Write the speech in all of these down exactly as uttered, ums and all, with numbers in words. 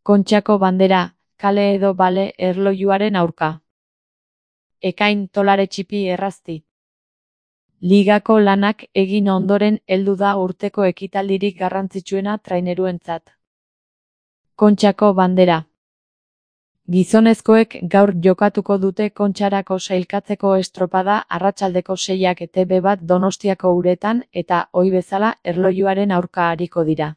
Kontxako bandera, kale edo bale erlojuaren aurka. Ekain tolare txipi errazti. Ligako lanak egin ondoren heldu da urteko ekitaldirik garrantzitsuena traineruentzat. Kontxako bandera. Gizonezkoek gaur jokatuko dute Kontxarako sailkatzeko estropada arratsaldeko seiak E Te Be bat Donostiako uretan eta ohi bezala erlojuaren aurka ariko dira.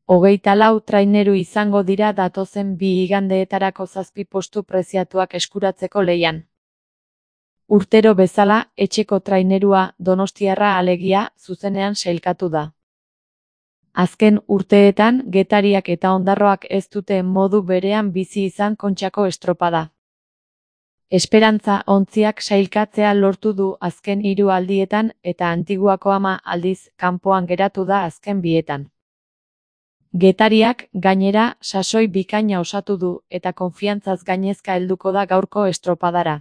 Hogeita lau traineru izango dira datozen bi igandeetarako zazpi postu preziatuak eskuratzeko lehian. Urtero bezala, etxeko trainerua donostiarra alegia zuzenean sailkatu da. Azken urteetan Getariak eta Ondarroak ez dute modu berean bizi izan Kontxako estropada. Esperantza Ontziak sailkatzea lortu du azken hiru aldietan eta Antiguako ama aldiz kanpoan geratu da azken bietan. Getariak, gainera, sasoi bikaina osatu du eta konfiantzaz gainezka helduko da gaurko estropadara.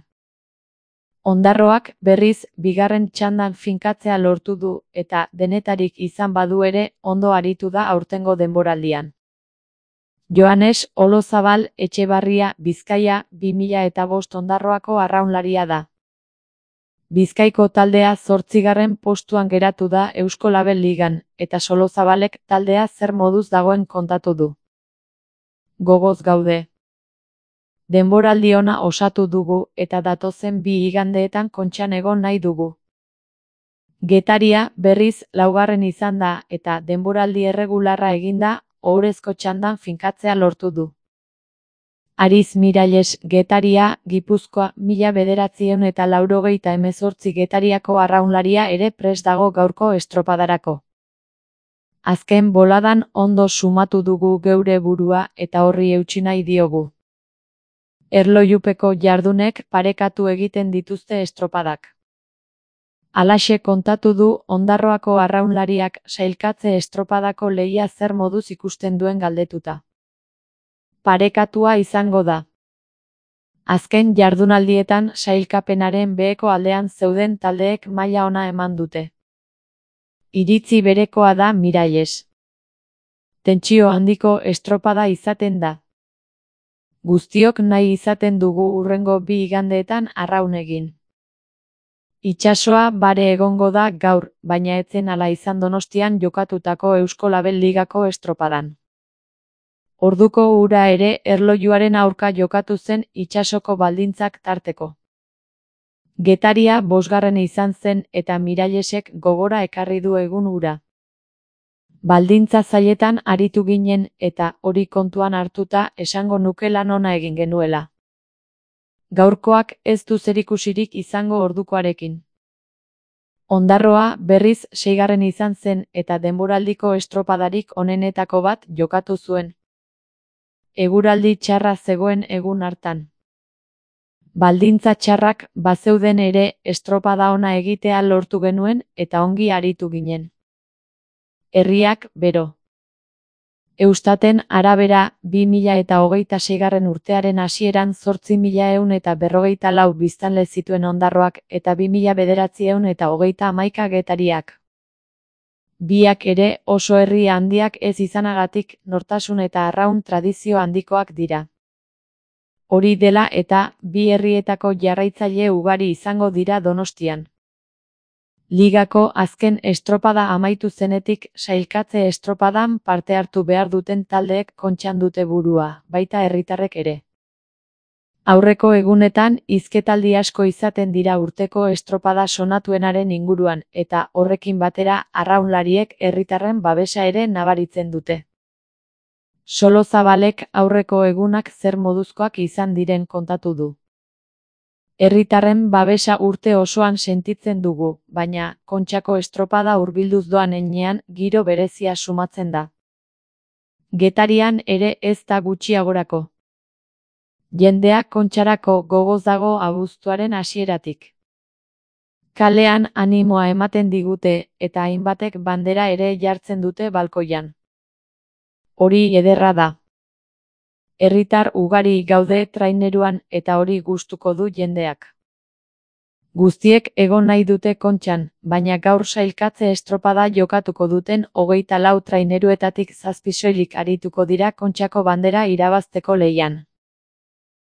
Ondarroak, berriz, bigarren txandan finkatzea lortu du eta denetarik izan badu ere ondo aritu da aurtengo denboraldian. Joanes Olozabal Etxebarria Bizkaia bi mila eta bost Ondarroako arraunlaria da. Bizkaiko taldea zortzigarren postuan geratu da Eusko Label Ligan, eta Solozabalek taldea zer moduz dagoen kontatu du. Gogoz gaude. Denboraldi ona osatu dugu eta datozen bi igandeetan Kontxan egon nahi dugu. Getaria, berriz, laugarren izan da eta denboraldi erregularra eginda, ohorezko txandan finkatzea lortu du. Ariz Miralles Getaria, Gipuzkoa, mila bederatziehun eta laurogeita hemezortzi Getariako arraunlaria ere prest dago gaurko estropadarako. Azken boladan ondo sumatu dugu geure burua eta horri eutsi nahi diogu. Erlojupeko jardunek parekatu egiten dituzte estropadak. Halaxe kontatu du Ondarroako arraunlariak sailkatze estropadako lehia zer moduz ikusten duen galdetuta. Parekatua izango da. Azken jardunaldietan sailkapenaren beheko aldean zeuden taldeek maila ona eman dute. Iritzi berekoa da Miralles. Tentsio handiko estropada izaten da. Guztiok nahi izaten dugu hurrengo bi igandeetan arraun egin. Itsasoa bare egongo da gaur, baina etzen hala izan Donostian jokatutako Eusko Label Ligako estropadan. Orduko ura ere erlojuaren aurka jokatu zen itsasoko baldintzak tarteko. Getaria bosgarren izan zen eta Mirallesek gogora ekarri du egun ura. Baldintza zailetan aritu ginen eta hori kontuan hartuta esango nuke lan ona egin genuela. Gaurkoak ez du zerikusirik izango ordukoarekin. Ondarroa berriz seigarren izan zen eta denboraldiko estropadarik onenetako bat jokatu zuen. Eguraldi txarra zegoen egun hartan. Baldintza txarrak bazeuden ere estropada ona egitea lortu genuen eta ongi aritu ginen. Herriak, bero. Eustaten arabera, bi mila eta hogeita seigarren urtearen hasieran zortzi mila ehun eta berrogeita lau biztanle zituen Ondarroak eta bi mila bederatziehun eta hogeita hamaika Getariak. Biak ere oso herri handiak ez izanagatik nortasun eta arraun tradizio handikoak dira. Hori dela eta bi herrietako jarraitzaile ugari izango dira Donostian. Ligako azken estropada amaitu zenetik sailkatze estropadan parte hartu behar duten taldeek Kontxan dute burua, baita herritarrek ere. Aurreko egunetan hizketaldi asko izaten dira urteko estropada sonatuenaren inguruan eta horrekin batera arraunlariek herritarren babesa ere nabaritzen dute. Solozabalek aurreko egunak zer moduzkoak izan diren kontatu du. Herritarren babesa urte osoan sentitzen dugu, baina Kontxako estropada hurbilduz doan heinean giro berezia sumatzen da. Getarian ere ez da gutxiagorako. Jendea Kontxarako gogoz dago abuztuaren hasieratik. Kalean animoa ematen digute eta hainbatek bandera ere jartzen dute balkoian. Hori ederra da. Herritar ugari gaude traineruan eta hori gustuko du jendeak. Guztiek egon nahi dute Kontxan, baina gaur sailkatze estropada jokatuko duten hogeita lau traineruetatik zazpi soilik arituko dira Kontxako bandera irabazteko lehian.